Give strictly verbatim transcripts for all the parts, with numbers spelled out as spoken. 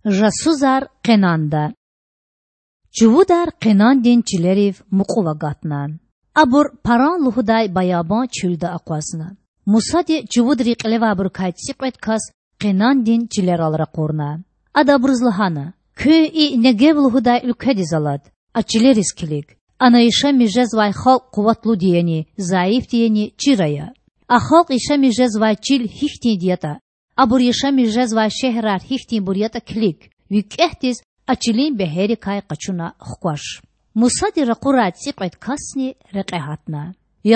Жасусар Къенанда. Чувудар Къенандин чилерив мукьув агатна. Абур Паран лугьудай баябан чуьлда акъвазна. Мусади чувудрин кьилевайбурукай цӀикьвед кас Къенандин чилерал ракъурна. Ада абуруз лагьана: Куьн и Негев лугьудай уьлкведиз алад, а чилериз килиг. Ана яшамиш жезвай халкь къуватлуди яни, зайифди яни чир ая. А халкь яшамиш жезвай чил гьихьтинди ятӀа, абур яшамиш жезвай шегьерар гьихьтинбур ятӀа килиг. ВикӀегьдиз а чилин бегьеррикай къачуна хкваш. Мусади ракъурай цӀикьвед касни рекье гьатна.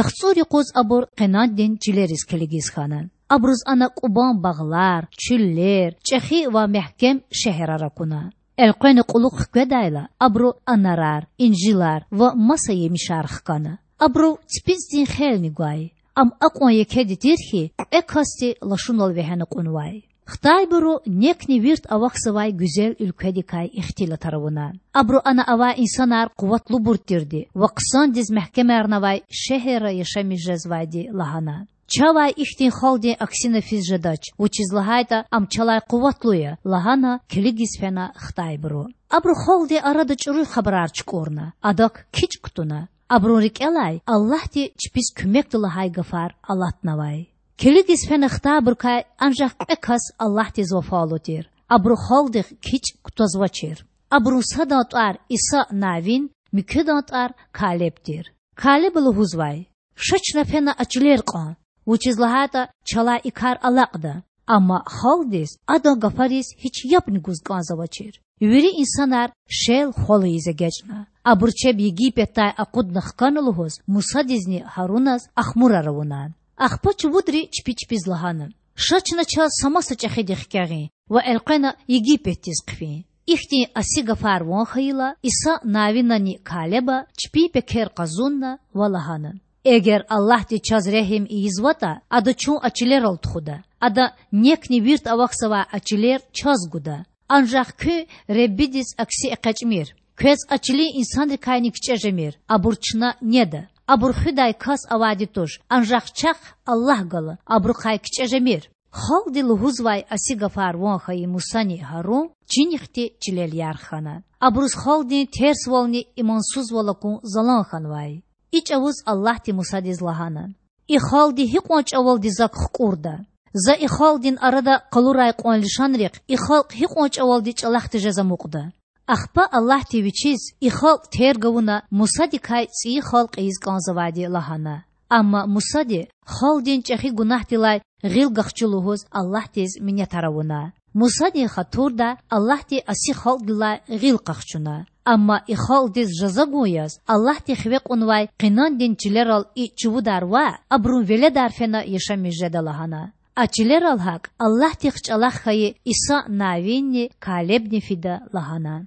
ЯхцӀур юкъуз абур Къенандин чилериз килигиз хьана. Абуруз ана кӀубан багълар, чуьллер, чӀехи ва мягькем шегьерар акуна. Элкъвена кьулухъ хкведайла, абуру анарар, инжилар ва маса емишар хкана. Абурув ципицӀдин хелни гвай. Ам акьван екеди тир хьи, кьве касди лашунал вегьена кьунвай. Хтайбуру некни вирт авахьзавай гуьзел уьлкведикай ихтилатар авуна. Абуру ана авай инсанар къуватлубур тирди ва хъсандиз мягькемарнавай шегьерра яшамиш жезвайди лагьана. Чавай ихьтин халкьдин аксина физ жедач, вучиз лагьайтӀа ам чалай къуватлу я,— лагьана килигиз фена хтайбуру. Абуру халкьдин арада чӀуруй хабарар чукӀурна, адак кичӀ кутуна. Абурун рикӀелай Аллагьди чпиз куьмекда лагьай гафар алатнавай. Килигиз фена хтайбурукай анжах кьве кас Аллагьдиз вафалу тир. Абуру халкьдихъ кичӀ кутазвачир. Абурун садан тӀвар Иса Навин, муькуьдан тӀвар Калеб тир. Калеба лугьузвай: Ша чна фена а чилер кьан, вучиз лагьайтӀа чалай и кар алакьда. Амма халкьдиз адан гафариз гьич ябни гуз кӀанзавачир. Вири инсанар шел-хвал ийиз эгечӀна. Абуру чеб Египетдай акъудна хкана лугьуз Мусадизни Гьаруназ ахмурар авуна. Ахпа чувудри чпи чпиз лагьана: Ша чна чаз са маса чӀехиди хкягъин ва элкъвена Египетдиз хъфин. Ихьтин аси гафар ван хьайила, Иса Навинани Калеба чпин пекер къазунна ва лагьана: Эгер Аллагьди чаз регьим ийизватӀа, Ада чун а чилерал тухуда. Ада некни вирт авахьзавай а чилер чаз гуда. Анжах куьн Худадиз акси экъечӀмир. Квез а чилин инсанрикайни кичӀе жемир, абур чна неда. Абур хуьдай кас авайди туш, анжах чахъ Аллагь гала, абурухъай кичӀе жемир. Халкьди лугьузвай аси гафар ван хьайи Мусани Гьарун чинихъди чилел ярх хьана. Абуруз халкьдин терсвални имансузвал акун залан хьанвай. И чӀавуз Аллагьди Мусадиз лагьана: И халкьди гьикьван чӀавалди Зак хкӀурда? За и халкьдин арада къалурай кьван лишанрихъ и халкь гьикьван чӀавалди чӀалахъди жез амукьда? Ахпа Аллагьди Вичиз и халкь терг авуна Мусадикай цӀийи халкь ийиз кӀанзавайди лагьана. Амма Мусади халкьдин чӀехи гунагьдилай гъил гахчу лугьуз Аллагьдиз минетар авуна. Мусадин хатурдай Аллагьди аси халкьдилай гъил къахчуна. Амма и халкьдиз жаза гун яз Аллагьди хиве кьунвай Къенандин чилерал и чувудар ваъ, абурун веледар фена яшамиш жеда лагьана. А чилерал гьакӀ Аллагьдихъ чӀалахъ хьайи Иса Навинни Калебни фида лагьана.